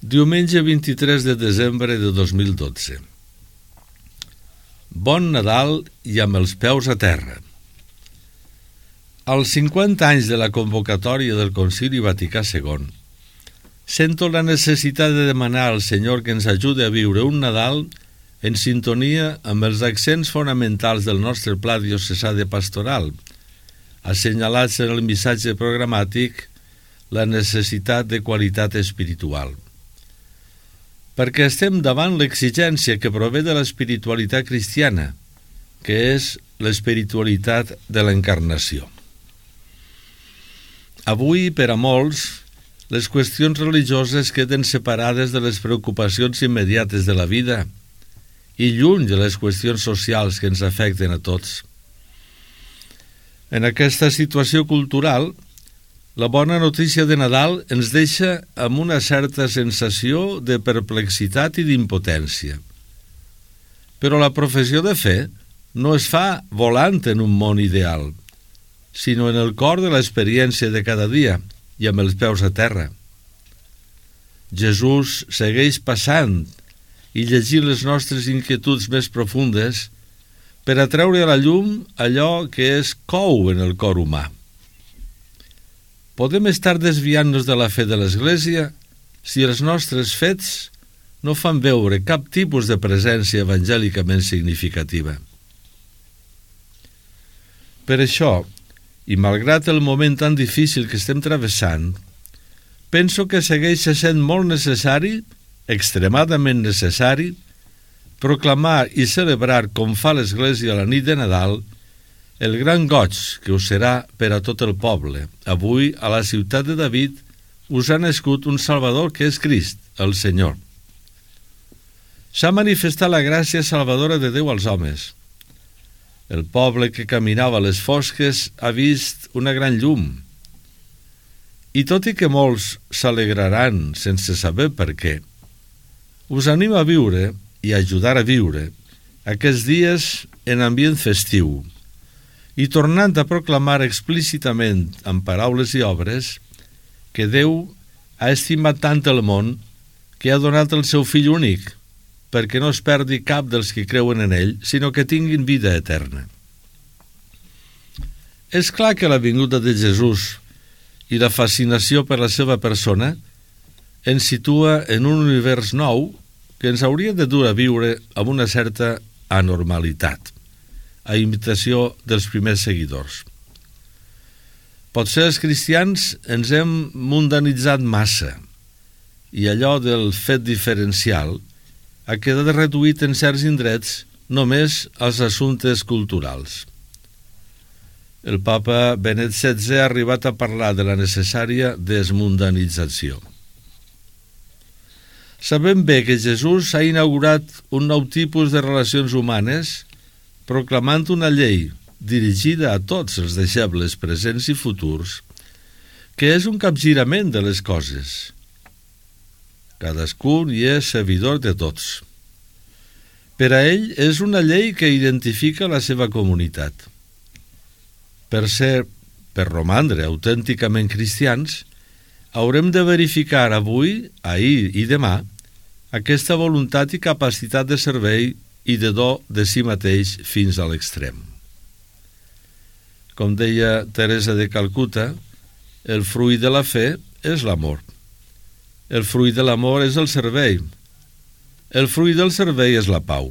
Diumenge 23 de desembre de 2012. Bon Nadal i amb els peus a terra. Als 50 anys de la convocatòria del Concili Vaticà II, sento la necessitat de demanar al Senyor que ens ajudi a viure un Nadal en sintonia amb els accents fonamentals del nostre pla diocesà de pastoral, assenyalats en el missatge programàtic la necessitat de qualitat espiritual. Perquè estem davant l'exigència que prové de l'espiritualitat cristiana, que és l'espiritualitat de l'encarnació. Avui, per a molts, les qüestions religioses queden separades de les preocupacions immediates de la vida i lluny de les qüestions socials que ens afecten a tots. En aquesta situació cultural, la bona notícia de Nadal ens deixa amb una certa sensació de perplexitat i d'impotència. Però la professió de fe no es fa volant en un món ideal, sinó en el cor de l'experiència de cada dia i amb els peus a terra. Jesús segueix passant i llegint les nostres inquietuds més profundes per a treure a la llum allò que és cou en el cor humà. Podem estar desviant-nos de la fe de l'Església si els nostres fets no fan veure cap tipus de presència evangèlicament significativa. Per això, i malgrat el moment tan difícil que estem travessant, penso que segueix sent molt necessari, extremadament necessari, proclamar i celebrar com fa l'Església a la nit de Nadal el gran goig que us serà per a tot el poble. Avui, a la ciutat de David, us ha nascut un Salvador que és Crist, el Senyor. S'ha manifestat la gràcia salvadora de Déu als homes. El poble que caminava a les fosques ha vist una gran llum. I tot i que molts s'alegraran sense saber per què, us animo a viure i a ajudar a viure aquests dies en ambient festiu, i tornant a proclamar explícitament amb paraules i obres que Déu ha estimat tant el món que ha donat el seu fill únic, perquè no es perdi cap dels que creuen en ell, sinó que tinguin vida eterna. És clar que la vinguda de Jesús i la fascinació per la seva persona ens situa en un univers nou que ens hauria de dur a viure amb una certa anormalitat, a imitació dels primers seguidors. Potser els cristians ens hem mundanitzat massa i allò del fet diferencial ha quedat reduït en certs indrets només als assumptes culturals. El papa Benet XVI ha arribat a parlar de la necessària desmundanització. Sabem bé que Jesús ha inaugurat un nou tipus de relacions humanes proclamant una llei dirigida a tots els deixebles presents i futurs, que és un capgirament de les coses. Cadascun hi és servidor de tots. Per a ell és una llei que identifica la seva comunitat. Per romandre autènticament cristians, haurem de verificar avui, ahir i demà aquesta voluntat i capacitat de servei i de do de si mateix fins a l'extrem. Com deia Teresa de Calcuta, el fruit de la fe és l'amor. El fruit de l'amor és el servei. El fruit del servei és la pau.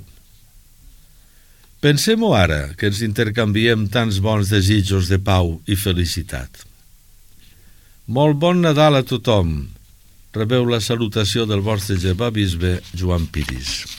Pensem-ho ara, que ens intercanviem tants bons desitjos de pau i felicitat. Molt bon Nadal a tothom. Rebeu la salutació del vostre germà bisbe Joan Piris.